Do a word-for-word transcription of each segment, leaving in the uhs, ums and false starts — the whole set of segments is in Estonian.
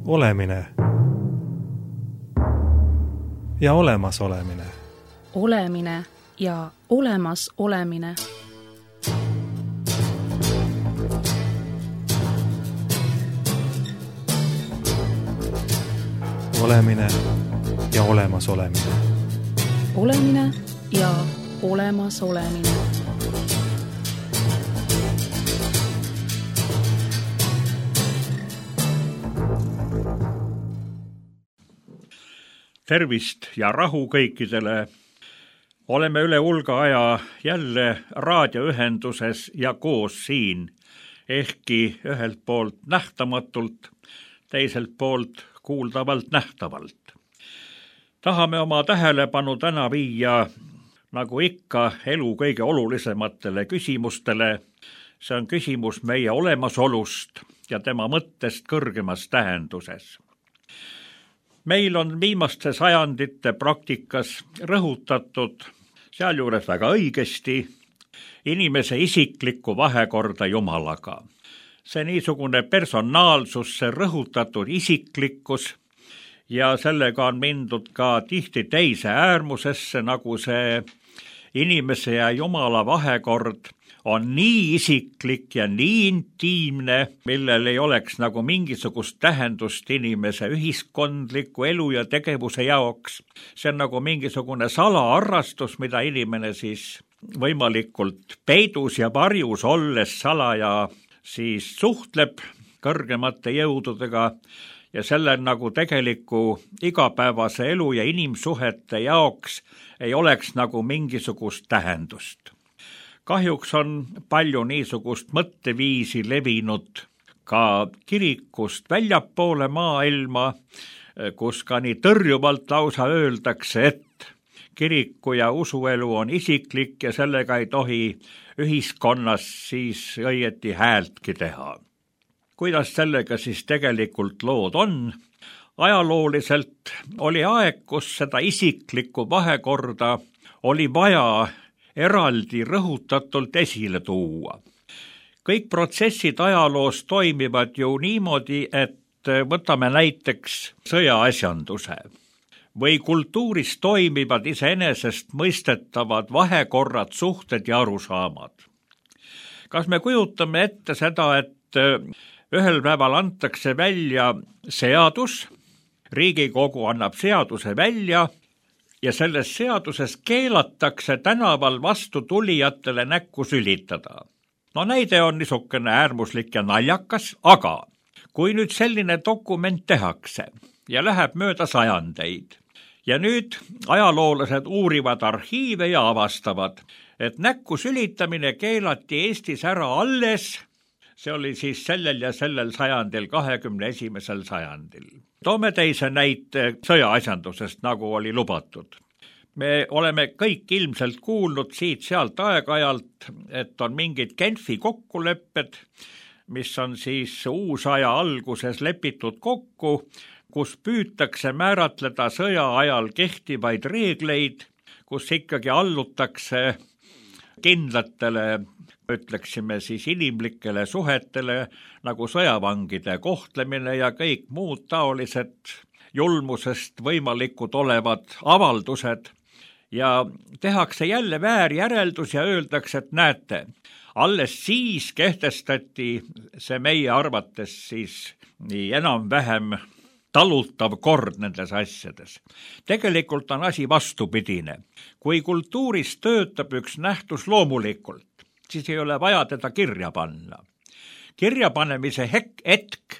Olemine ja olemas olemine. Olemine ja olemas olemine. Olemine ja olemas olemine. Olemine ja olemas olemine. Tervist ja rahu kõikidele. Oleme üle hulga aja jälle raadioühenduses ja koos siin, ehkki ühelt poolt nähtamatult, teiselt poolt kuuldavalt nähtavalt. Tahame oma tähelepanu täna viia, nagu ikka, elu kõige olulisematele küsimustele. See on küsimus meie olemasolust ja tema mõttest kõrgemas tähenduses. Meil on viimaste sajandite praktikas rõhutatud, sealjuures väga õigesti, inimese isiklikku vahekorda Jumalaga. See niisugune personaalsus, see rõhutatud isiklikkus ja sellega on mindud ka tihti teise äärmusesse, nagu see inimese ja Jumala vahekord on nii isiklik ja nii intiimne, millel ei oleks nagu mingisugust tähendust inimese ühiskondliku elu ja tegevuse jaoks. See on nagu mingisugune salaharrastus, mida inimene siis võimalikult peidus ja varjus olles salaja siis suhtleb kõrgemate jõududega ja selle nagu tegeliku igapäevase elu ja inimsuhete jaoks ei oleks nagu mingisugust tähendust. Kahjuks on palju niisugust mõtteviisi levinud ka kirikust väljapoole maailma, kus ka nii tõrjuvalt lausa öeldakse, et kiriku ja usuelu on isiklik ja sellega ei tohi ühiskonnas siis õieti häältki teha. Kuidas sellega siis tegelikult lood on? Ajalooliselt oli aeg, kus seda isiklikku vahekorda oli vaja eraldi rõhutatult esile tuua. Kõik protsessid ajaloos toimivad ju niimoodi, et võtame näiteks sõjaasjanduse või kultuuris toimivad iseenesest mõistetavad vahekorrad, suhted ja arusaamad. Kas me kujutame ette seda, et ühel päeval antakse välja seadus, Riigikogu annab seaduse välja, ja selles seaduses keelatakse tänaval vastu tulijatele näkku sülitada. No näide on niisugune äärmuslik ja naljakas, aga kui nüüd selline dokument tehakse ja läheb mööda sajandeid ja nüüd ajaloolased uurivad arhiive ja avastavad, et näkku sülitamine keelati Eestis ära alles, see oli siis sellel ja sellel sajandil, kahekümne esimesel sajandil. Toome teise näite sõjaasjandusest, nagu oli lubatud. Me oleme kõik ilmselt kuulnud siit sealt aeg-ajalt, et on mingid Genfi kokkulepped, mis on siis uusaja alguses lepitud kokku, kus püütakse määratleda sõja ajal kehtivaid reegleid, kus ikkagi allutakse kindlatele, ütleksime siis inimlikele suhetele, nagu sõjavangide kohtlemine ja kõik muud taolised julmusest võimalikud olevad avaldused. Ja tehakse jälle väärjäreldus ja öeldakse, et näete, alles siis kehtestati see meie arvates siis nii enam-vähem talutav kord nendes asjades. Tegelikult on asi vastupidine. Kui kultuuris töötab üks nähtus loomulikult, siis ei ole vaja teda kirja panna. Kirjapanemise hetk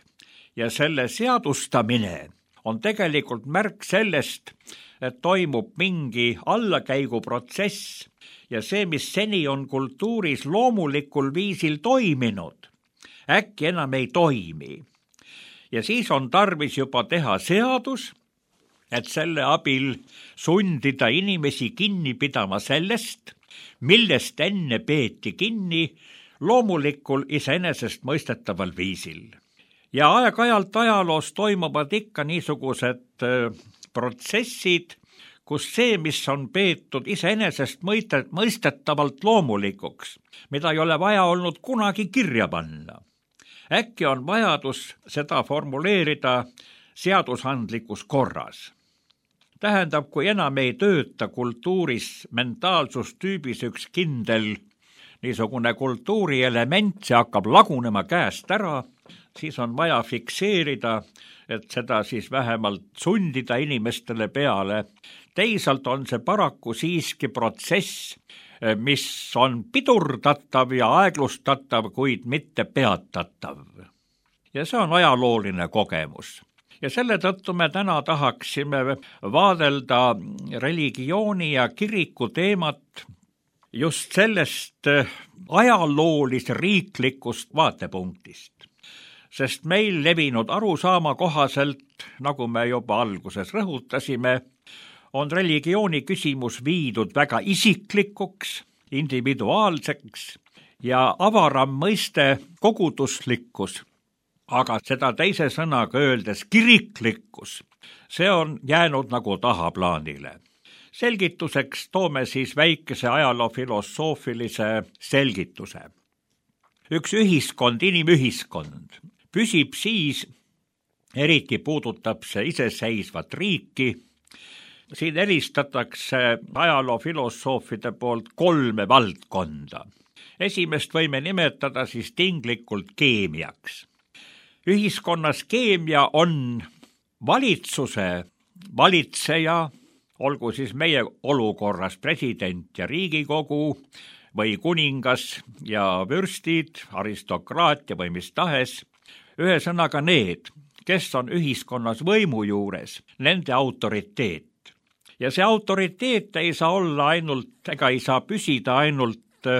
ja selle seadustamine on tegelikult märk sellest, et toimub mingi allakäiguprotsess ja see, mis seni on kultuuris loomulikul viisil toiminud, äkki enam ei toimi. Ja siis on tarvis juba teha seadus, et selle abil sundida inimesi kinni pidama sellest, millest enne peeti kinni loomulikul iseenesest mõistetaval viisil. Ja aeg-ajalt ajaloos toimuvad ikka niisugused protsessid, kus see, mis on peetud iseenesest mõistetavalt loomulikuks, mida ei ole vaja olnud kunagi kirja panna, äkki on vajadus seda formuleerida seadusandlikus korras. Tähendab, kui enam ei tööta kultuuris mentaalsustüübis üks kindel niisugune kultuurielement, see hakkab lagunema käest ära, siis on vaja fikseerida, et seda siis vähemalt sundida inimestele peale. Teisalt on see paraku siiski protsess, mis on pidurdatav ja aeglustatav, kuid mitte peatatav. Ja see on ajalooline kogemus. Ja selle tõttu me täna tahaksime vaadelda religiooni ja kiriku teemat just sellest ajaloolis-riiklikust vaatepunktist. Sest meil levinud arusaama kohaselt, nagu me juba alguses rõhutasime, on religiooni küsimus viidud väga isiklikuks, individuaalseks ja avaram mõiste koguduslikkus, aga seda teise sõnaga öeldes kiriklikkus, see on jäänud nagu tahaplaanile. Selgituseks toome siis väikese ajaloofilosoofilise selgituse. Üks ühiskond, inimühiskond, püsib siis, eriti puudutab see iseseisvat riiki. Siin eristatakse ajaloofilosoofide poolt kolme valdkonda. Esimest võime nimetada siis tinglikult keemiaks. Ühiskonnas keemia on valitsuse valitseja, olgu siis meie olukorras president ja Riigikogu või kuningas ja vürstid, aristokraatia või mis tahes, ühesõnaga need, kes on ühiskonnas võimu juures, nende autoriteet. Ja see autoriteet ei saa olla ainult, ega ei saa püsida ainult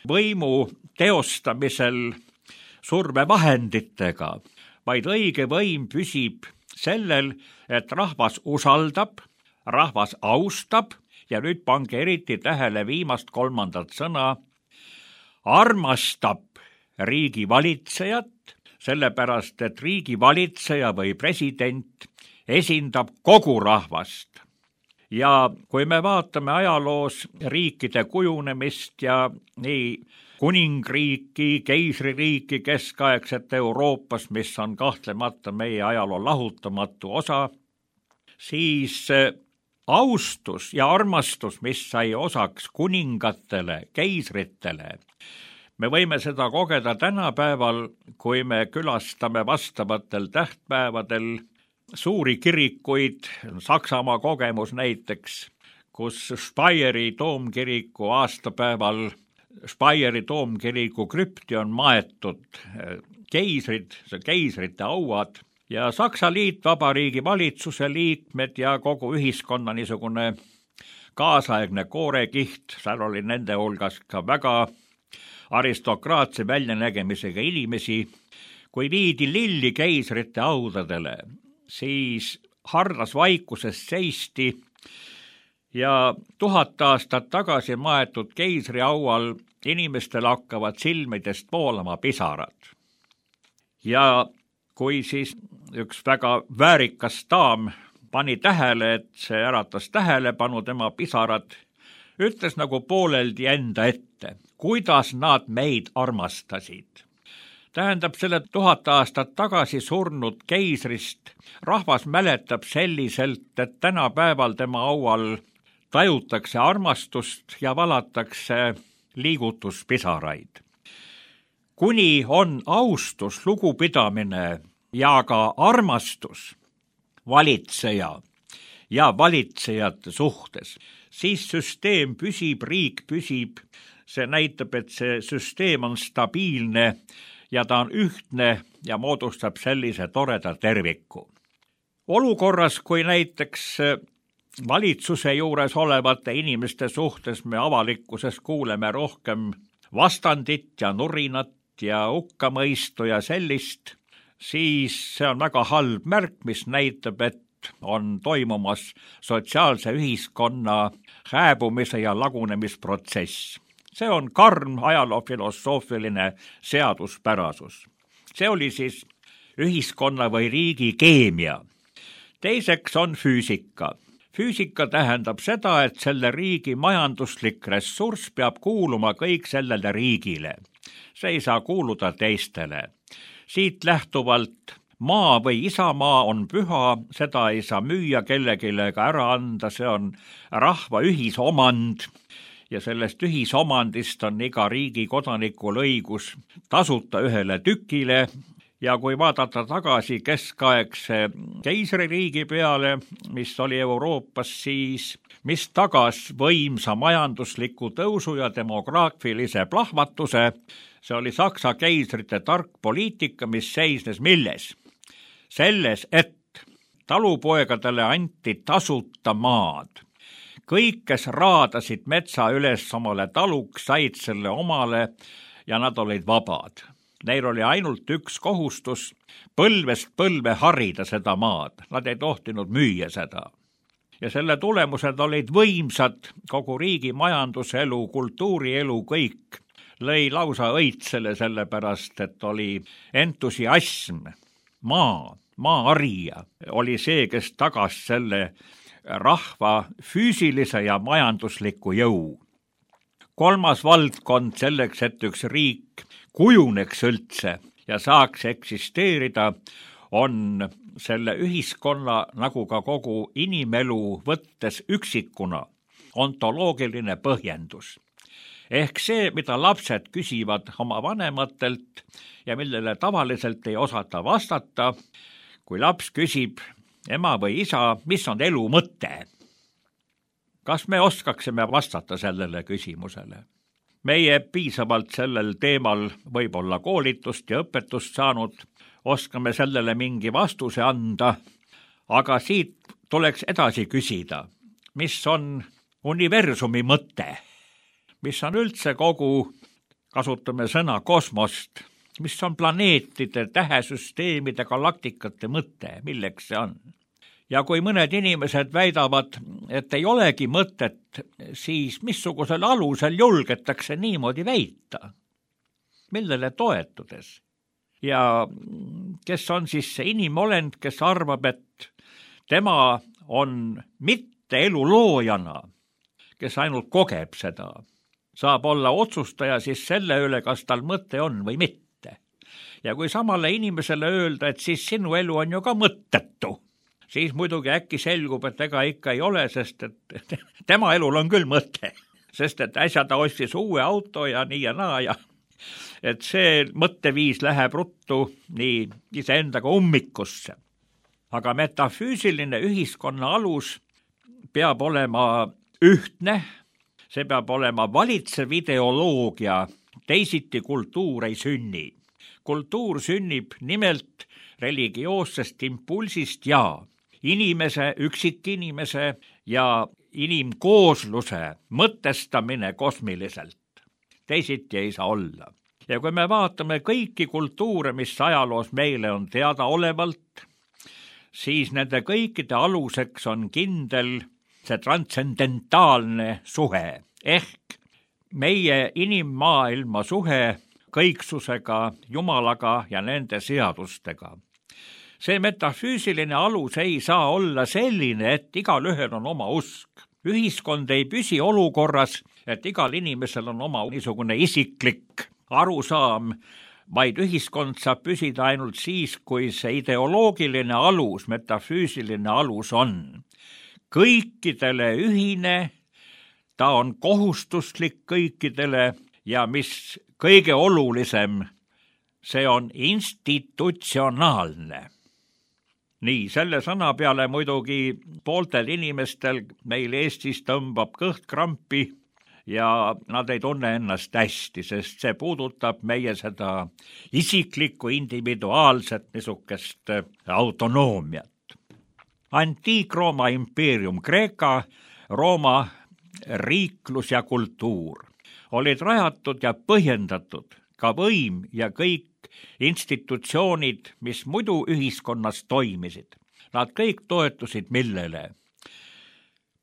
võimu teostamisel survevahenditega, vaid õige võim püsib sellel, et rahvas usaldab, rahvas austab ja nüüd pange eriti tähele viimast kolmandat sõna, armastab riigi valitsejat, sellepärast et riigi valitseja või president esindab kogu rahvast. Ja kui me vaatame ajaloos riikide kujunemist ja nii kuningriiki, keisririiki keskaegset Euroopas, mis on kahtlemata meie ajaloo lahutamatu osa, siis austus ja armastus, mis sai osaks kuningatele, keisritele, me võime seda kogeda tänapäeval, kui me külastame vastavatel tähtpäevadel suuri kirikuid, Saksamaa kogemus näiteks, kus Speyeri toomkiriku aastapäeval Speyeri toomkiriku krüpti on maetud keisrid, keisrite auad ja Saksa Liitvabariigi valitsuse liikmed ja kogu ühiskonna niisugune kaasaegne koorekiht, seal oli nende hulgas ka väga aristokraatse väljanägemisega inimesi, kui viidi lilli keisrite audadele, siis hardas vaikuses seisti ja tuhat aastat tagasi maetud keisri aual inimestel hakkavad silmidest voolama pisarad. Ja kui siis üks väga väärikas daam pani tähele, et see äratas tähelepanu tema pisarad, ütles nagu pooleldi enda ette, kuidas nad meid armastasid. Tähendab, selle tuhat aastat tagasi surnud keisrist rahvas mäletab selliselt, et tänapäeval tema aual tajutakse armastust ja valatakse liigutuspisaraid. Kuni on austus, lugupidamine ja ka armastus valitseja ja valitsejate suhtes, siis süsteem püsib, riik püsib, see näitab, et see süsteem on stabiilne ja ta on ühtne ja moodustab sellise toreda terviku. Olukorras, kui näiteks valitsuse juures olevate inimeste suhtes me avalikkuses kuuleme rohkem vastandit ja nurinat ja hukkamõistu ja sellist, siis see on väga halb märk, mis näitab, et on toimumas sotsiaalse ühiskonna hääbumise ja lagunemisprotsess. See on karm ajaloofilosoofiline seaduspärasus. See oli siis ühiskonna või riigi keemia. Teiseks on füüsika. Füüsika tähendab seda, et selle riigi majanduslik ressurss peab kuuluma kõik sellele riigile. See ei saa kuuluda teistele. Siit lähtuvalt maa või isamaa on püha, seda ei saa müüa kellelegi ega ära anda, see on rahva ühisomand ja sellest ühisomandist on iga riigi kodanikul õigus tasuta ühele tükile. Ja kui vaadata tagasi keskaegse keisririigi peale, mis oli Euroopas, siis mis tagas võimsa majandusliku tõusu ja demograafilise plahvatuse, see oli Saksa keisrite tark poliitika, mis seisnes milles? Selles, et talupoegadele anti tasuta maad. Kõik, kes raadasid metsa üles omale taluks, said selle omale ja nad olid vabad. Neil oli ainult üks kohustus põlvest põlve harida seda maad. Nad ei tohtinud müüa seda. Ja selle tulemused olid võimsad, kogu riigi majanduselu, kultuurielu, kõik lõi lausa õitsele sellepärast, et oli entusiasm. Maa, maaarija oli see, kes tagas selle rahva füüsilise ja majandusliku jõu. Kolmas valdkond selleks, et üks riik kujuneks üldse ja saaks eksisteerida, on selle ühiskonna nagu ka kogu inimelu võttes üksikuna ontoloogiline põhjendus. Ehk see, mida lapsed küsivad oma vanematelt ja millele tavaliselt ei osata vastata, kui laps küsib ema või isa, mis on elu mõte? Kas me oskaksime vastata sellele küsimusele? Meie piisavalt sellel teemal võib-olla koolitust ja õpetust saanud, oskame sellele mingi vastuse anda, aga siit tuleks edasi küsida, mis on universumi mõte, mis on üldse kogu, kasutame sõna kosmost, mis on planeetide, tähesüsteemide, galaktikate mõte, milleks see on. Ja kui mõned inimesed väidavad, et ei olegi mõtet, siis missugusel alusel julgetakse niimoodi väita? Millele toetudes? Ja kes on siis see inimolend, kes arvab, et tema on mitte elu loojana, kes ainult kogeb seda, saab olla otsustaja siis selle üle, kas tal mõte on või mitte. Ja kui samale inimesele öelda, et siis sinu elu on ju ka mõttetu, siis muidugi äkki selgub, et ega ikka ei ole, sest et tema elul on küll mõte, sest et äsja ta ostis uue auto ja nii ja naa ja et see mõtteviis läheb ruttu nii iseendaga ummikusse. Aga metafüüsiline ühiskonna alus peab olema ühtne, see peab olema valitsev ideoloogia, teisiti kultuur ei sünni. Kultuur sünnib nimelt religioossest impulsist ja inimese, üksikinimese ja inimkoosluse mõtestamine kosmiliselt. Teisiti ei saa olla. Ja kui me vaatame kõiki kultuure, mis ajaloos meile on teadaolevalt, siis nende kõikide aluseks on kindel see transcendentaalne suhe, ehk meie inimmaailma suhe kõiksusega, Jumalaga ja nende seadustega. See metafüüsiline alus ei saa olla selline, et igal ühel on oma usk. Ühiskond ei püsi olukorras, et igal inimesel on oma niisugune isiklik arusaam, vaid ühiskond saab püsida ainult siis, kui see ideoloogiline alus, metafüüsiline alus on kõikidele ühine, ta on kohustuslik kõikidele ja mis kõige olulisem, see on institutsionaalne. Nii, selle sõna peale muidugi pooltel inimestel meil Eestis tõmbab kõht krampi ja nad ei tunne ennast hästi, sest see puudutab meie seda isiklikku, individuaalset niisugust autonoomiat. Antiik-Rooma impeerium, Kreeka, Rooma riiklus ja kultuur olid rajatud ja põhjendatud ka võim ja kõik institutsioonid, mis muidu ühiskonnas toimisid. Nad kõik toetusid millele?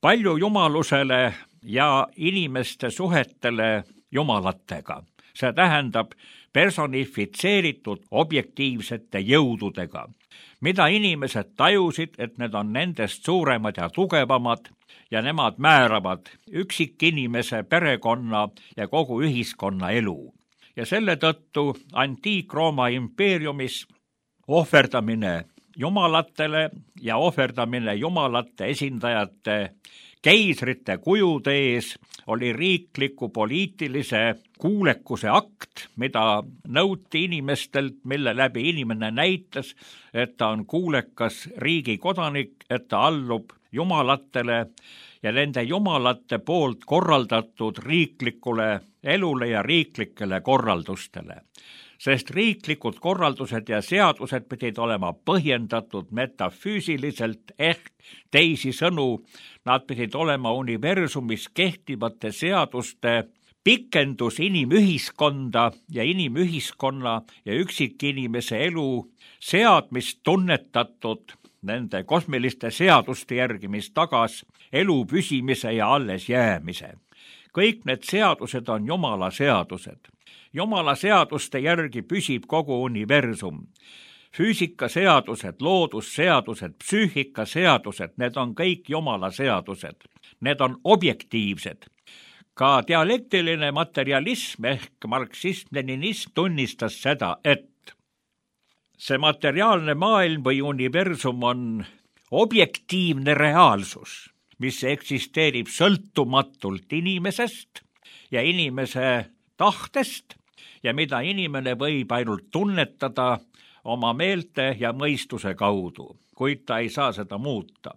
Palju jumalusele ja inimeste suhetele jumalatega. See tähendab personifitseeritud objektiivsete jõududega, mida inimesed tajusid, et need on nendest suuremad ja tugevamad ja nemad määravad üksikinimese, perekonna ja kogu ühiskonna elu. ja selle tõttu Antiik-Rooma impeeriumis ohverdamine jumalatele ja ohverdamine jumalate esindajate keisrite kujude ees oli riikliku poliitilise kuulekuse akt, mida nõuti inimestelt, mille läbi inimene näitas, et ta on kuulekas riigi kodanik, et ta allub jumalatele ja nende jumalate poolt korraldatud riiklikule elule ja riiklikele korraldustele. Sest riiklikud korraldused ja seadused pidid olema põhjendatud metafüüsiliselt ehk teisisõnu, nad pidid olema universumis kehtivate seaduste pikendus inimühiskonda ja inimühiskonna ja üksikinimese elu seadmist tunnetatud nende kosmiliste seaduste järgi, mis tagas elu püsimise ja alles jäämise. Kõik need seadused on Jumala seadused. Jumala seaduste järgi püsib kogu universum. Füüsikaseadused, loodusseadused, psüühikaseadused, need on kõik Jumala seadused. Need on objektiivsed. Ka dialektiline materialism ehk marksism-leninism tunnistas seda, et see materiaalne maailm või universum on objektiivne reaalsus, mis eksisteerib sõltumatult inimesest ja inimese tahtest ja mida inimene võib ainult tunnetada oma meelte ja mõistuse kaudu, kuid ta ei saa seda muuta.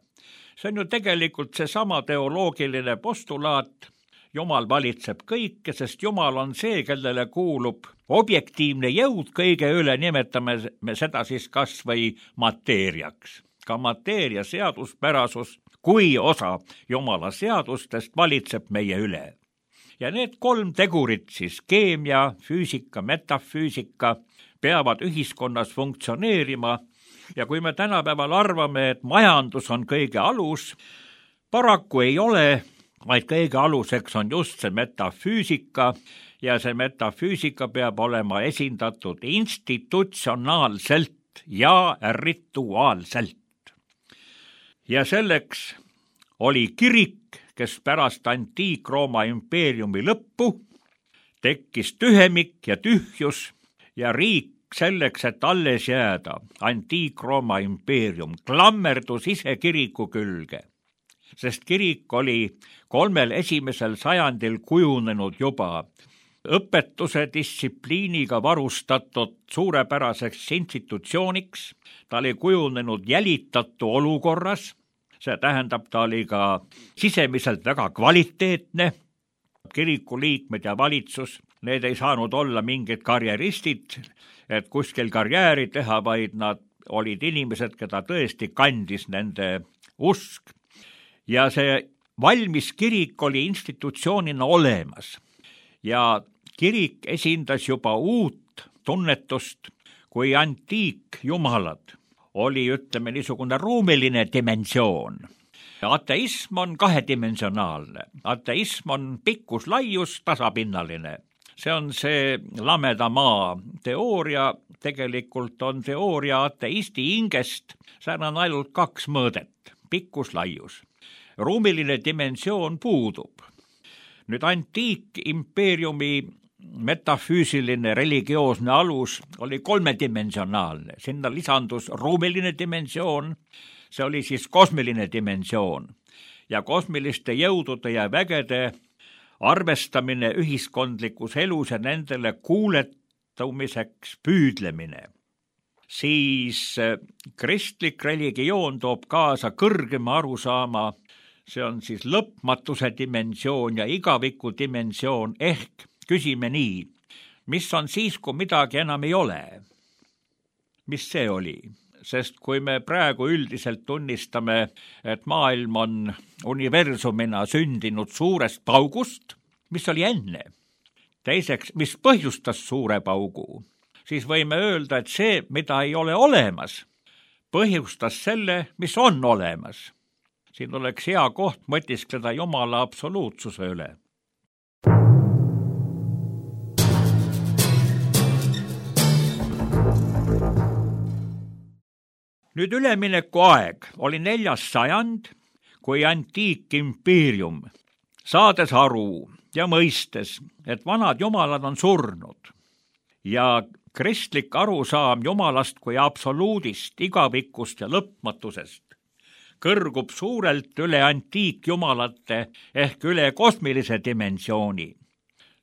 See on ju tegelikult seesama teoloogiline postulaat, Jumal valitseb kõike, sest Jumal on see, kellele kuulub objektiivne jõud kõige üle, nimetame me seda siis kas või mateeriaks. Ka mateeria seaduspärasus kui osa Jumala seadustest valitseb meie üle. Ja need kolm tegurit siis, keemia, füüsika, metafüüsika, peavad ühiskonnas funktsioneerima ja kui me tänapäeval arvame, et majandus on kõige alus, paraku ei ole, vaid kõige aluseks on just see metafüüsika ja see metafüüsika peab olema esindatud institutsionaalselt ja rituaalselt. Ja selleks oli kirik, kes pärast Antiik-Rooma impeeriumi lõppu tekkis tühemik ja tühjus ja riik selleks, et alles jääda, Antiik-Rooma impeerium klammerdus ise kiriku külge, sest kirik oli kolmel esimesel sajandil kujunenud juba õpetuse distsipliiniga varustatud suurepäraseks institutsiooniks, ta oli kujunenud jälitatu olukorras, see tähendab, ta oli ka sisemiselt väga kvaliteetne, kiriku liikmed ja valitsus, need ei saanud olla mingid karjeristid, et kuskil karjääri teha, vaid nad olid inimesed, keda tõesti kandis nende usk. Ja see valmis kirik oli institutsioonina olemas ja kirik esindas juba uut tunnetust, kui antiikjumalad oli, ütleme, niisugune ruumiline dimensioon. Ateism on kahedimensionaalne. Ateism on pikkus, laius, tasapinnaline. See on see lameda maa teooria, tegelikult on teooria ateisti hingest, seal on ainult kaks mõõdet, pikkus, laius. Ruumiline dimensioon puudub. Nüüd antiikimpeeriumi metafüüsiline religioosne alus oli kolmedimensionaalne. Sinna lisandus ruumiline dimensioon, see oli siis kosmiline dimensioon ja kosmiliste jõudude ja vägede arvestamine ühiskondlikus elus ja nendele kuuletumiseks püüdlemine. Siis kristlik religioon toob kaasa kõrgema arusaama, see on siis lõpmatuse dimensioon ja igaviku dimensioon ehk küsime nii, mis on siis, kui midagi enam ei ole? Mis see oli? Sest kui me praegu üldiselt tunnistame, et maailm on universumina sündinud suurest paugust, mis oli enne? Teiseks, mis põhjustas suure paugu? Siis võime öelda, et see, mida ei ole olemas, põhjustas selle, mis on olemas. Siin oleks hea koht mõtiskleda Jumala absoluutsuse üle. Nüüd ülemineku aeg oli neljas sajand, kui antiikimpeerium, saades aru ja mõistes, et vanad jumalad on surnud ja kristlik arusaam Jumalast kui absoluudist, igavikust ja lõpmatusest kõrgub suurelt üle antiikjumalate ehk üle kosmilise dimensiooni.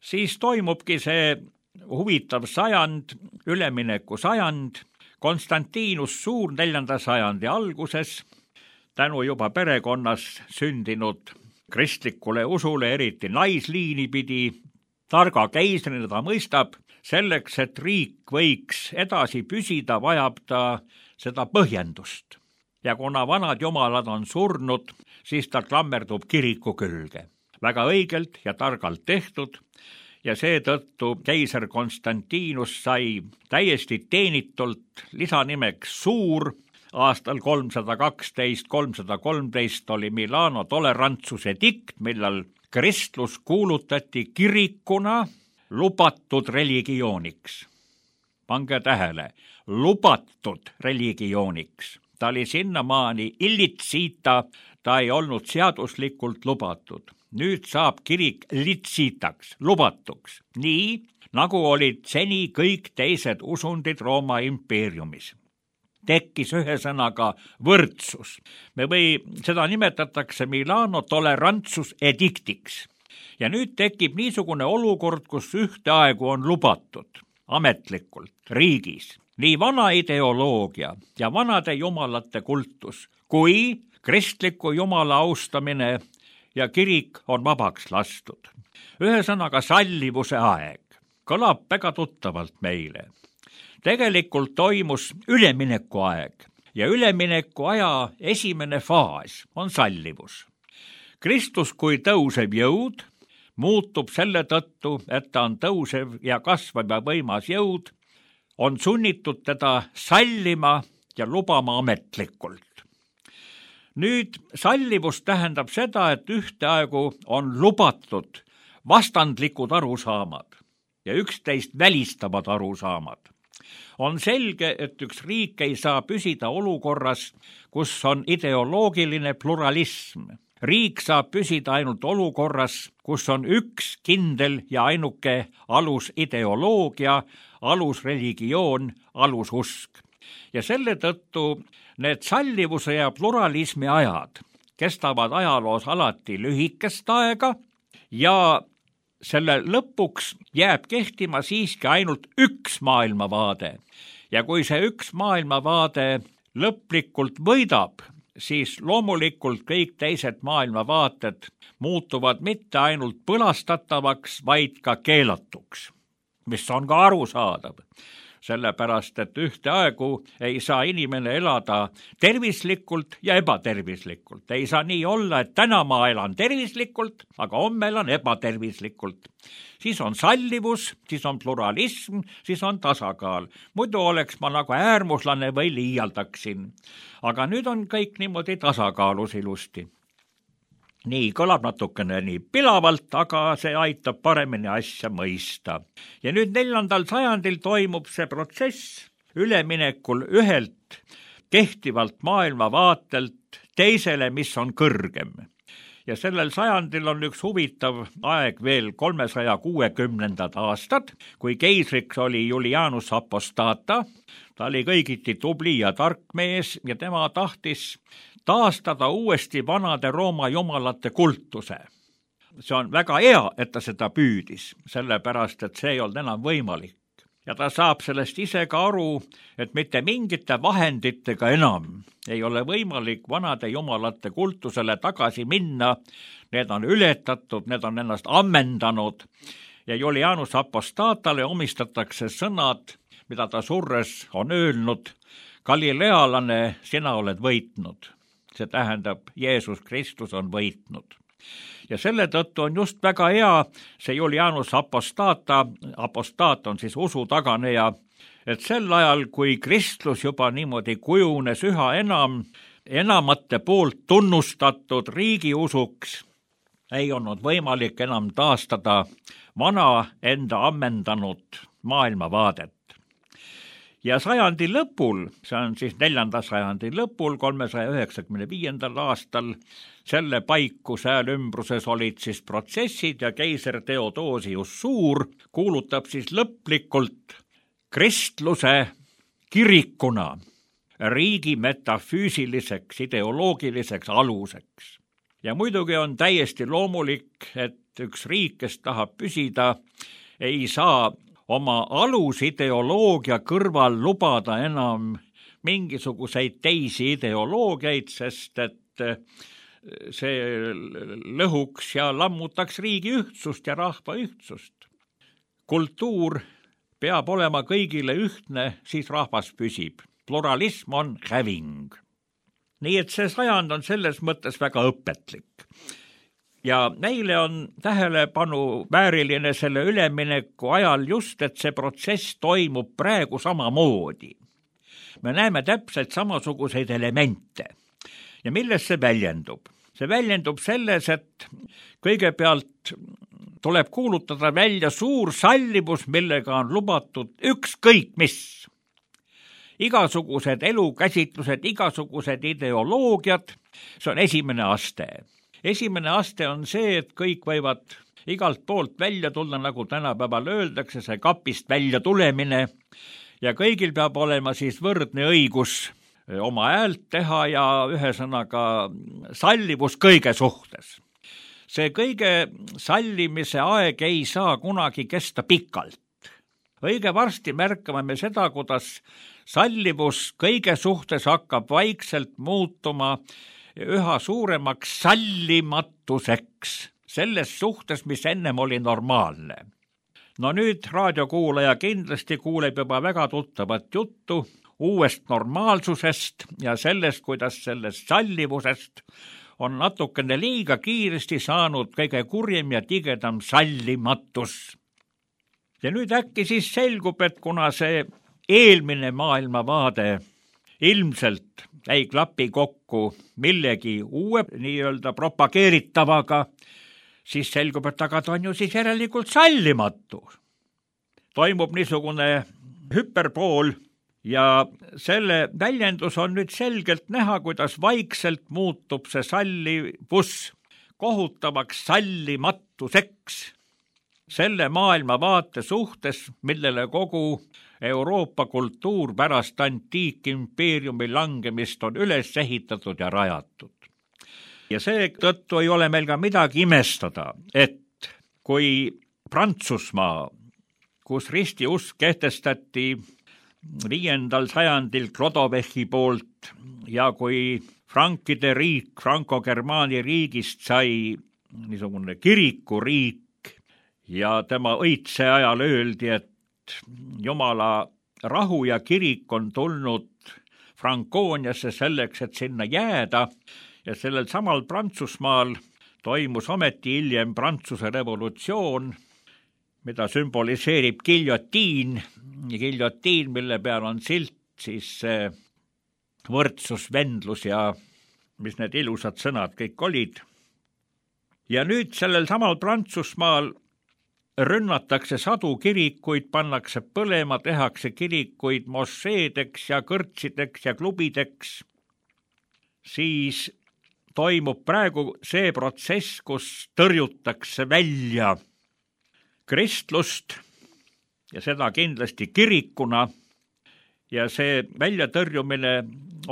Siis toimubki see huvitav sajand, ülemineku sajand, Konstantinus Suur neljanda sajandi alguses, tänu juba perekonnas sündinud kristlikule usule, eriti naisliini pidi, targa keisrina ta mõistab, selleks, et riik võiks edasi püsida, vajab ta seda põhjendust. Ja kuna vanad jumalad on surnud, siis ta klammerdub kiriku külge. Väga õigelt ja targalt tehtud ja seetõttu keiser Konstantinus sai täiesti teenitult lisanimeks Suur. Aastal kolmsada kaksteist kolmsada kolmteist oli Milano tolerantsuse dikt, millal kristlus kuulutati kirikuna lubatud religiooniks. Pange tähele, lubatud religiooniks. Ta oli sinnamaani illitsita, ta ei olnud seaduslikult lubatud. Nüüd saab kirik litsitaks, lubatuks, nii nagu olid seni kõik teised usundid Rooma impeeriumis. Tekkis ühesõnaga võrdsus. Me või seda nimetatakse Milano tolerantsus ediktiks. Ja nüüd tekib niisugune olukord, kus ühteaegu on lubatud ametlikult riigis nii vana ideoloogia ja vanade jumalate kultus, kui kristliku jumala austamine ja kirik on vabaks lastud. Ühesõnaga sallivuse aeg kõlab väga tuttavalt meile. Tegelikult toimus ülemineku aeg ja ülemineku aja esimene faas on sallivus. Kristus kui tõusev jõud muutub selle tõttu, et ta on tõusev ja kasvav ja võimas jõud, on sunnitud teda sallima ja lubama ametlikult. Nüüd sallivus tähendab seda, et ühteaegu on lubatud vastandlikud arusaamad ja üksteist välistavad arusaamad. On selge, et üks riik ei saa püsida olukorras, kus on ideoloogiline pluralism. Riik saab püsida ainult olukorras, kus on üks kindel ja ainuke alusideoloogia, alusreligioon, alususk. Ja selle tõttu need sallivuse ja pluralismi ajad kestavad ajaloos alati lühikest aega ja selle lõpuks jääb kehtima siiski ainult üks maailmavaade. Ja kui see üks maailmavaade lõplikult võidab, siis loomulikult kõik teised maailmavaated muutuvad mitte ainult põlastatavaks, vaid ka keelatuks, mis on ka arusaadav. Sellepärast, et ühteaegu ei saa inimene elada tervislikult ja ebatervislikult. Ei saa nii olla, et täna ma elan tervislikult, aga homme elan ebatervislikult. Siis on sallivus, siis on pluralism, siis on tasakaal. Muidu oleks ma nagu äärmuslane või liialdaksin. Aga nüüd on kõik niimoodi tasakaalus ilusti. Nii kõlab natukene nii pilavalt, aga see aitab paremini asja mõista. Ja nüüd neljandal sajandil toimub see protsess üleminekul ühelt kehtivalt maailmavaatelt teisele, mis on kõrgem. Ja sellel sajandil on üks huvitav aeg veel kolmesaja kuuekümnendad aastad, kui keisriks oli Julianus Apostata. Ta oli kõigiti tubli ja tark mees ja tema tahtis taastada uuesti vanade Rooma jumalate kultuse. See on väga hea, et ta seda püüdis, sellepärast, et see ei olnud enam võimalik. Ja ta saab sellest ise ka aru, et mitte mingite vahenditega enam ei ole võimalik vanade jumalate kultusele tagasi minna. Need on ületatud, need on ennast ammendanud ja Julianus Apostatale omistatakse sõnad, mida ta surres on öelnud: Galilealane, sina oled võitnud. See tähendab, Jeesus Kristus on võitnud. Ja selle tõttu on just väga hea see Julianus Apostata, apostaat on siis usu taganeja, et sel ajal, kui kristlus juba niimoodi kujunes üha enam, enamate poolt tunnustatud riigiusuks, ei olnud võimalik enam taastada vana enda ammendanud maailmavaadet. Ja sajandi lõpul, see on siis neljanda sajandi lõpul, kolmesaja üheksakümne viiendal aastal, selle paiku sääl ümbruses olid siis protsessid ja keiser Theodosius Suur kuulutab siis lõplikult kristluse kirikuna riigi metafüüsiliseks ideoloogiliseks aluseks. Ja muidugi on täiesti loomulik, et üks riik, kes tahab püsida, ei saa oma alusideoloogia kõrval lubada enam mingisuguseid teisi ideoloogiaid, sest et see lõhuks ja lammutaks riigi ühtsust ja rahva ühtsust. Kultuur peab olema kõigile ühtne, siis rahvas püsib. Pluralism on häving. Nii et see sajand on selles mõttes väga õpetlik. Ja meile on tähelepanu vääriline selle ülemineku ajal just, et see protsess toimub praegu samamoodi. Me näeme täpselt samasuguseid elemente. Ja milles see väljendub? See väljendub selles, et kõigepealt tuleb kuulutada välja suur sallivus, millega on lubatud ükskõik mis. Igasugused elukäsitlused, igasugused ideoloogiad, see on esimene aste. Esimene aste on see, et kõik võivad igalt poolt välja tulla, nagu tänapäeval öeldakse, see kapist välja tulemine, ja kõigil peab olema siis võrdne õigus oma häält teha ja ühesõnaga sallivus kõige suhtes. See kõige sallimise aeg ei saa kunagi kesta pikalt. Õige varsti märkame me seda, kuidas sallivus kõige suhtes hakkab vaikselt muutuma üha suuremaks sallimatuseks selles suhtes, mis ennem oli normaalne. No nüüd raadiokuulaja kindlasti kuuleb juba väga tuttavat juttu uuest normaalsusest ja sellest, kuidas sellest sallivusest on natukene liiga kiiresti saanud kõige kurjem ja tigedam sallimatus. Ja nüüd äkki siis selgub, et kuna see eelmine maailmavaade ilmselt ei klapi kokku millegi uue nii-öelda propageeritavaga, siis selgub, et aga ta on ju siis järelikult sallimatu. Toimub niisugune hüperpool ja selle väljendus on nüüd selgelt näha, kuidas vaikselt muutub see sallivus kohutavaks sallimatuseks selle maailmavaate suhtes, millele kogu Euroopa kultuur pärast antiikimpeeriumi langemist on üles ehitatud ja rajatud. Ja seetõttu ei ole meil ka midagi imestada, et kui Prantsusmaa, kus ristiusk kehtestati viiendal sajandil Clodovechi poolt ja kui frankide riik, Franco-Germaani riigist sai niisugune kirikuriik ja tema õitse ajal öeldi, et Jumala rahu ja kirik on tulnud Frankooniasse selleks, et sinna jääda ja sellel samal Prantsusmaal toimus ometi hiljem Prantsuse revolutsioon, mida sümboliseerib giljotiin, giljotiin, mille peal on silt, siis võrdsus, vendlus ja mis need ilusad sõnad kõik olid. Ja nüüd sellel samal Prantsusmaal rünnatakse sadu kirikuid, pannakse põlema, tehakse kirikuid mošeedeks ja kõrtsideks ja klubideks, siis toimub praegu see protsess, kus tõrjutakse välja kristlust ja seda kindlasti kirikuna ja see väljatõrjumine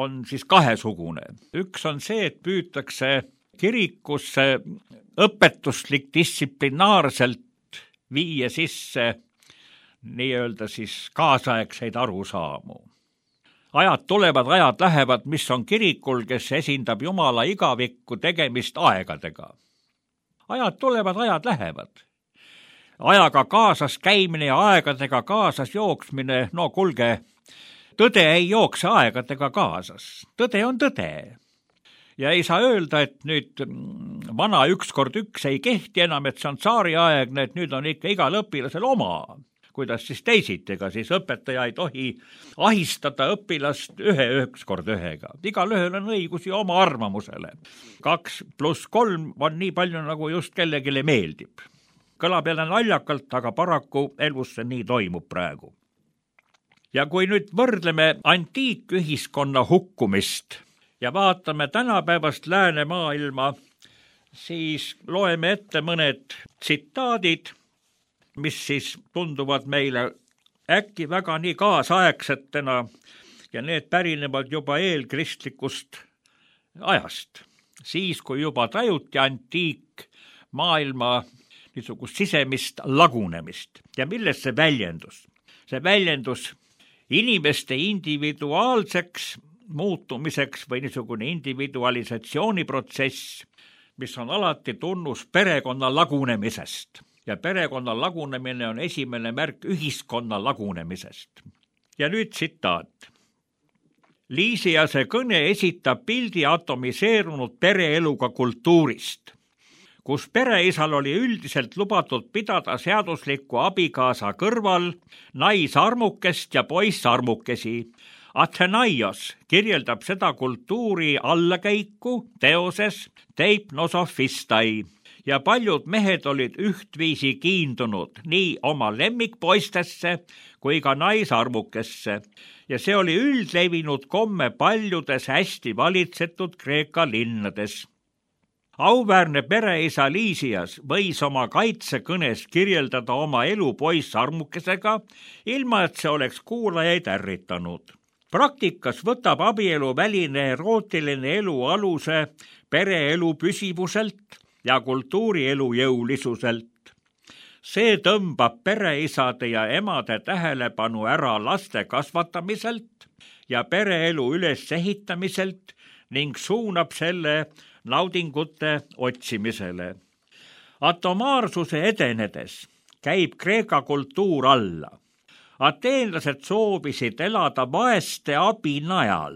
on siis kahesugune. Üks on see, et püütakse kirikusse õpetuslik distsiplinaarselt viia sisse nii-öelda siis kaasaegseid arusaamu. Ajad tulevad, ajad lähevad, mis on kirikul, kes esindab Jumala igavikku tegemist aegadega. Ajad tulevad, ajad lähevad. Ajaga kaasas käimine ja aegadega kaasas jooksmine, no kulge, tõde ei jookse aegadega kaasas. Tõde on tõde. Ja ei saa öelda, et nüüd vana üks kord üks ei kehti enam, et see on tsaariaegne, et nüüd on ikka igal õpilasel oma. Kuidas siis teisitega, siis õpetaja ei tohi ahistada õpilast ühe üks kord ühega. Igal ühel on õigus ja oma arvamusele. Kaks pluss kolm on nii palju, nagu just kellegile meeldib. Kõlab jälle naljakalt, aga paraku elus see nii toimub praegu. Ja kui nüüd võrdleme antiikühiskonna hukkumist ja vaatame tänapäevast läänemaailma, siis loeme ette mõned tsitaadid, mis siis tunduvad meile äkki väga nii kaasaegsetena ja need pärinevad juba eelkristlikust ajast. Siis, kui juba tajuti antiikmaailma niisugust sisemist lagunemist. Ja milles see väljendus? See väljendus inimeste individuaalseks muutumiseks või niisugune individualisatsiooniprotsess, mis on alati tunnus perekonna lagunemisest. Ja perekonna lagunemine on esimene märk ühiskonna lagunemisest. Ja nüüd tsitaat. Liisiase kõne esitab pildi atomiseerunud pereeluga kultuurist, kus pereisal oli üldiselt lubatud pidada seaduslikku abikaasa kõrval naisarmukest ja poissarmukesi. Athenaios kirjeldab seda kultuuri allakäiku teoses Teipnosophistai ja paljud mehed olid ühtviisi kiindunud nii oma lemmikpoistesse kui ka naisarmukesse ja see oli üldlevinud komme paljudes hästi valitsetud Kreeka linnades. Auväärne pereisa Liisias võis oma kaitsekõnes kirjeldada oma elu poissarmukesega, ilma et see oleks kuulajaid ärritanud. Praktikas võtab abielu väline erootiline elu aluse pereelu püsivuselt ja kultuurielu jõulisuselt. See tõmbab pereisade ja emade tähelepanu ära laste kasvatamiselt ja pereelu ülesehitamiselt ning suunab selle naudingute otsimisele. Atomaarsuse edenedes käib Kreeka kultuur alla. Ateenlased soovisid elada vaeste abi najal,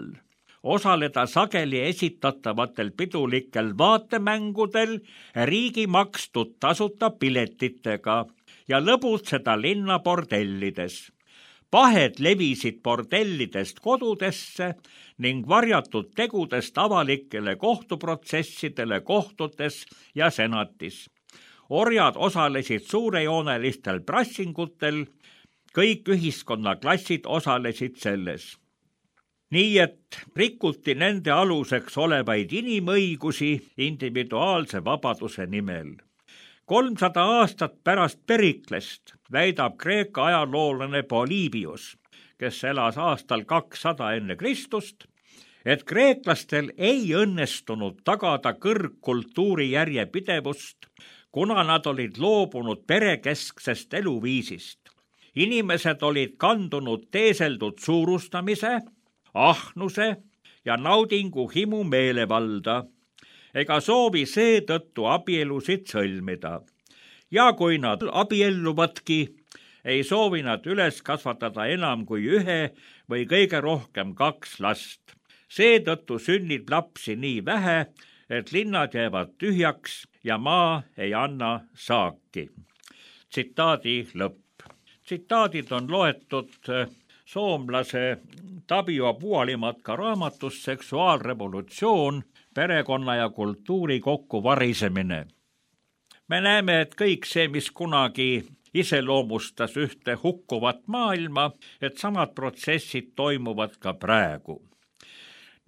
osaleda sageli esitatavatel pidulikel vaatemängudel riigi makstud tasuta piletitega ja lõbutseda linna bordellides. Pahed levisid bordellidest kodudesse ning varjatud tegudest avalikele kohtuprotsessidele kohtutes ja senatis. Orjad osalesid suurejoonelistel prassingutel, kõik ühiskonnaklassid osalesid selles. Nii et rikuti nende aluseks olevaid inimõigusi individuaalse vabaduse nimel. kolmsada aastat pärast Periklest väidab Kreeka ajaloolane Polybius, kes elas aastal kakssada enne Kristust, et kreeklastel ei õnnestunud tagada kõrgkultuuri järjepidevust, kuna nad olid loobunud perekesksest eluviisist. Inimesed olid kandunud teeseldud suurustamise, ahnuse ja naudingu himu meelevalda, ega soovi seetõttu abielusid sõlmida. Ja kui nad abielluvadki, ei soovi nad üles kasvatada enam kui ühe või kõige rohkem kaks last. Seetõttu sünnib lapsi nii vähe, et linnad jäävad tühjaks ja maa ei anna saaki. Tsitaadi lõpp. Tsitaadid on loetud soomlase Tapio Puolimatka raamatust Seksuaalrevolutsioon, perekonna ja kultuuri kokkuvarisemine. Me näeme, et kõik see, mis kunagi iseloomustas ühte hukkuvat maailma, et samad protsessid toimuvad ka praegu.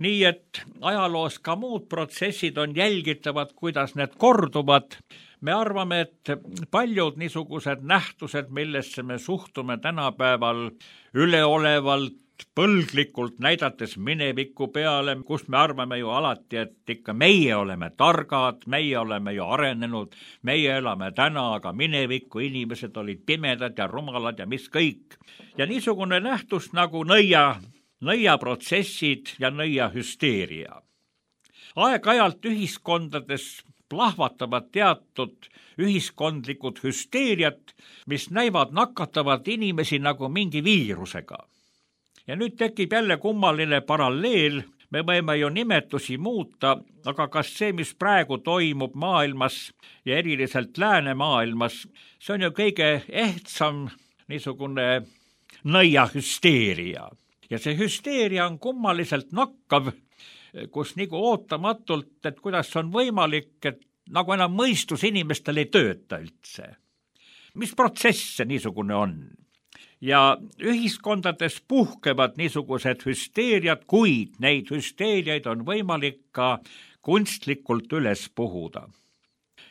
Nii et ajaloos ka muud protsessid on jälgitavad, kuidas need korduvad. Me arvame, et paljud niisugused nähtused, millesse me suhtume tänapäeval üleolevalt, põlglikult näidates mineviku peale, kus me arvame ju alati, et ikka meie oleme targad, meie oleme ju arenenud, meie elame täna, aga mineviku inimesed olid pimedad ja rumalad ja mis kõik. Ja niisugune nähtus nagu nõia, nõiaprotsessid ja nõiahüsteeria. Aeg-ajalt ühiskondades plahvatavad teatud ühiskondlikud hüsteeriat, mis näivad nakatavat inimesi nagu mingi viirusega. Ja nüüd tekib jälle kummaline paralleel, me võime ju nimetusi muuta, aga kas see, mis praegu toimub maailmas ja eriliselt läänemaailmas, see on ju kõige ehtsam niisugune nõiahüsteeria. Ja see hüsteeria on kummaliselt nakkav, kus nagu ootamatult, et kuidas on võimalik, et nagu enam mõistus inimestel ei tööta üldse. Mis protsess see niisugune on? Ja ühiskondades puhkevad niisugused hüsteeriad, kuid neid hüsteeriaid on võimalik ka kunstlikult üles puhuda.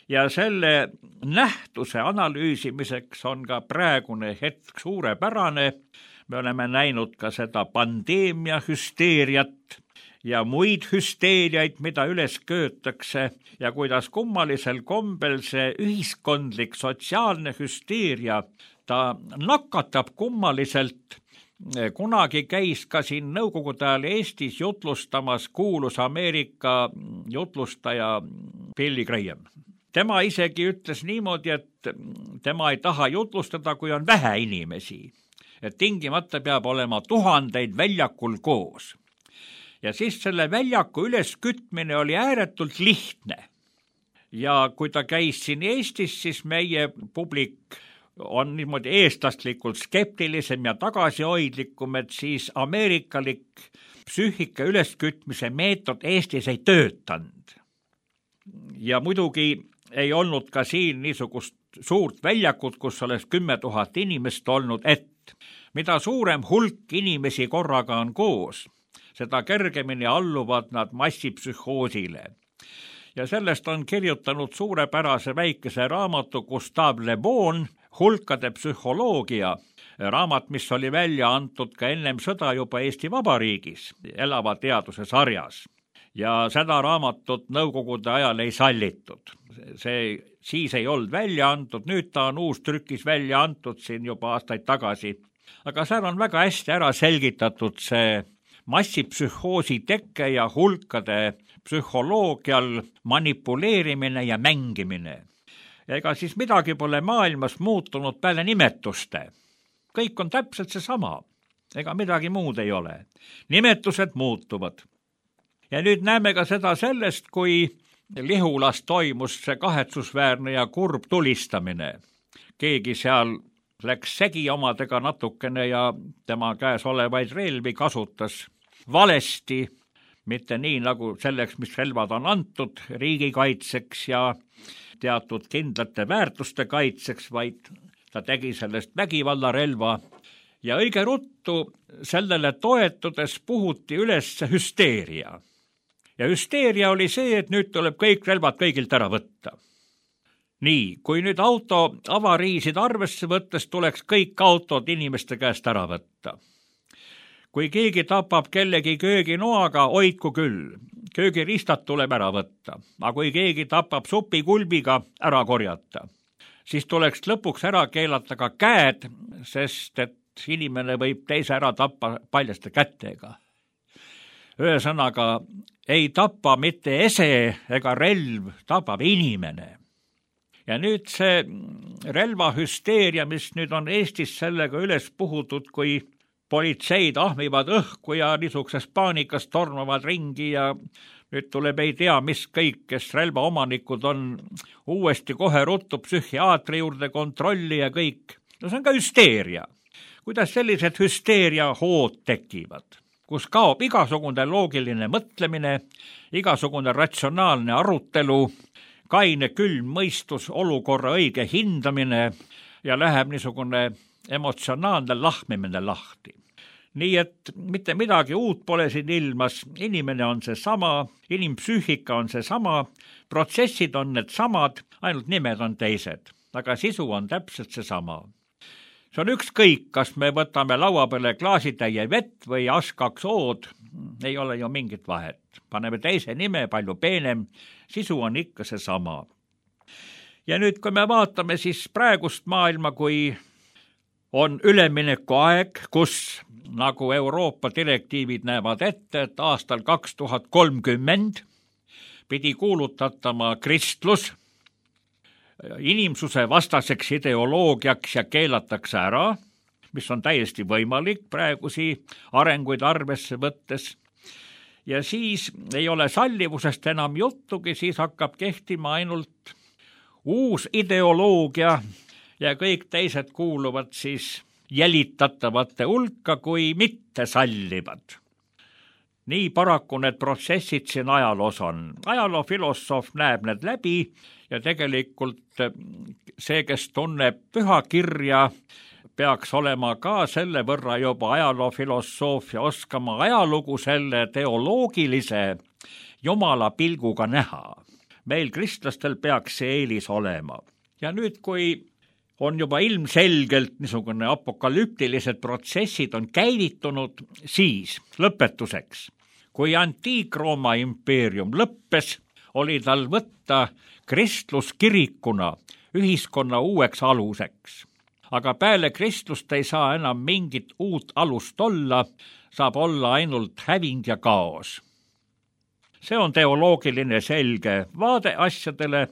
ja selle nähtuse analüüsimiseks on ka praegune hetk suurepärane. Me oleme näinud ka seda pandeemia hüsteeriat ja muid hüsteeriaid, mida üles köötakse ja kuidas kummalisel kombel see ühiskondlik sotsiaalne hüsteeria, ta nakatab kummaliselt. Kunagi käis ka siin nõukogude ajal Eestis jutlustamas kuulus Ameerika jutlustaja Billy Graham. Tema isegi ütles niimoodi, et tema ei taha jutlustada, kui on vähe inimesi, et tingimata peab olema tuhandeid väljakul koos. Ja siis selle väljaku üleskütmine oli ääretult lihtne. Ja kui ta käis siin Eestis, siis meie publik on niimoodi eestlaslikult skeptilisem ja tagasihoidlikum, et siis ameerikalik psüühika üleskütmise meetod Eestis ei töötanud. Ja muidugi ei olnud ka siin niisugust suurt väljakut, kus oleks kümme tuhat inimest olnud, et mida suurem hulk inimesi korraga on koos, seda kergemini alluvad nad massipsühhoosile. Ja sellest on kirjutanud suurepärase väikese raamatu Gustave Le Bon, hulkade psühholoogia, raamat, mis oli välja antud ka ennem sõda juba Eesti Vabariigis, elava teaduse sarjas. Ja seda raamatut nõukogude ajal ei sallitud. See siis ei olnud välja antud, nüüd ta on uus trükis välja antud siin juba aastaid tagasi. Aga seal on väga hästi ära selgitatud see massipsühhoosi tekke ja hulkade psühholoogial manipuleerimine ja mängimine. Ega siis midagi pole maailmas muutunud peale nimetuste. Kõik on täpselt seesama. Ega midagi muud ei ole. Nimetused muutuvad. Ja nüüd näeme ka seda sellest, kui Lihulas toimus see kahetsusväärne ja kurb tulistamine. Keegi seal läks segi omadega natukene ja tema käes olevaid relvi kasutas valesti, mitte nii nagu selleks, mis relvad on antud riigikaitseks ja teatud kindlate väärtuste kaitseks, vaid ta tegi sellest vägivallarelva ja õige ruttu sellele toetudes puhuti üles hüsteeria. Ja hüsteeria oli see, et nüüd tuleb kõik relvad kõigilt ära võtta. Nii, kui nüüd auto avariisid arvesse võttes, tuleks kõik autod inimeste käest ära võtta. Kui keegi tapab kellegi kööginoaga, hoidku küll. Köögiristad tuleb ära võtta, aga kui keegi tapab supikulbiga, ära korjata. Siis tuleks lõpuks ära keelata ka käed, sest et inimene võib teise ära tappa paljaste kättega. Ühesõnaga, ei tapa mitte ese ega relv, tapab inimene. Ja nüüd see relvahüsteeria, mis nüüd on Eestis sellega üles puhutud, kui politseid ahmivad õhku ja niisuguses paanikas tormavad ringi ja nüüd tuleb ei tea, mis kõik, kes relvaomanikud on uuesti kohe ruttu psühhiaatri juurde kontrolli ja kõik. No see on ka hüsteeria. Kuidas sellised hüsteeria hood tekivad, kus kaob igasugune loogiline mõtlemine, igasugune ratsionaalne arutelu, kaine külm mõistus, olukorra õige hindamine ja läheb niisugune emotsionaalne lahmimine lahti. Nii et mitte midagi uut pole siin ilmas, inimene on see sama, inimpsüühika on see sama, protsessid on need samad, ainult nimed on teised, aga sisu on täpselt see sama. See on ükskõik, kas me võtame laua peale klaasitäie vett või askaks ood, ei ole ju mingit vahet. Paneme teise nime, palju peenem, sisu on ikka see sama. Ja nüüd, kui me vaatame siis praegust maailma, kui on ülemineku aeg, kus nagu Euroopa direktiivid näevad ette, et aastal kaks tuhat kolmkümmend pidi kuulutatama kristlus inimsuse vastaseks ideoloogiaks ja keelatakse ära, mis on täiesti võimalik praegusi arenguid arvesse võttes. Ja siis ei ole sallivusest enam juttugi, siis hakkab kehtima ainult uus ideoloogia ja kõik teised kuuluvad siis jälitatavate hulka kui mitte sallivad. Nii paraku need protsessid siin ajaloos on. Ajaloofilosoof näeb need läbi ja tegelikult see, kes tunneb pühakirja, peaks olema ka selle võrra juba ajaloofilosoofia, oskama ajalugu selle teoloogilise jumala pilguga näha. meil kristlastel peaks see eelis olema. Ja nüüd, kui on juba ilmselgelt niisugune apokalüptilised protsessid on käivitunud, siis lõpetuseks, kui Antiik-Rooma impeerium lõppes, oli tal võtta kristlus kirikuna ühiskonna uueks aluseks. Aga peale kristlust ei saa enam mingit uut alust olla, saab olla ainult häving ja kaos. See on teoloogiline selge vaade asjadele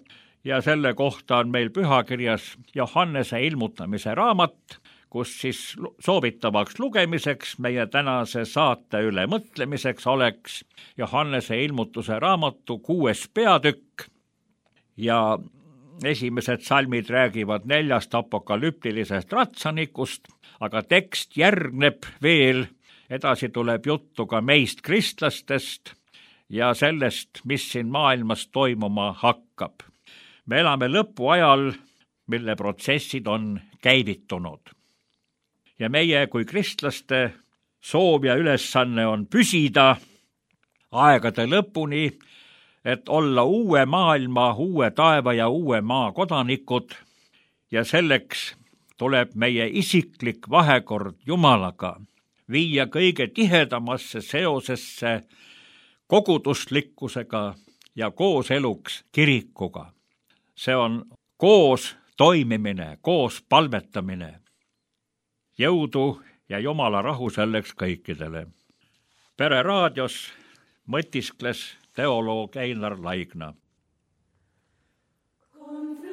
ja selle kohta on meil pühakirjas Johannese ilmutamise raamat, kus siis soovitavaks lugemiseks meie tänase saate üle mõtlemiseks oleks Johannese ilmutuse raamatu kuues peatükk ja esimesed salmid räägivad neljast apokalüptilisest ratsanikust, aga tekst järgneb veel, edasi tuleb juttu ka meist kristlastest ja sellest, mis siin maailmas toimuma hakkab. Me elame lõpuajal, mille protsessid on käivitunud. Ja meie kui kristlaste soov ja ülesanne on püsida aegade lõpuni, et olla uue maailma, uue taeva ja uue maa kodanikud ja selleks tuleb meie isiklik vahekord Jumalaga viia kõige tihedamasse seosesse koguduslikkusega ja kooseluks kirikuga. See on koos toimimine, koos palvetamine. Jõudu ja Jumala rahu selleks kõikidele. Pere raadios mõtiskles teoloog Einar Laigna. Oh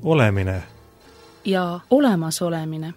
olemine ja olemasolemine.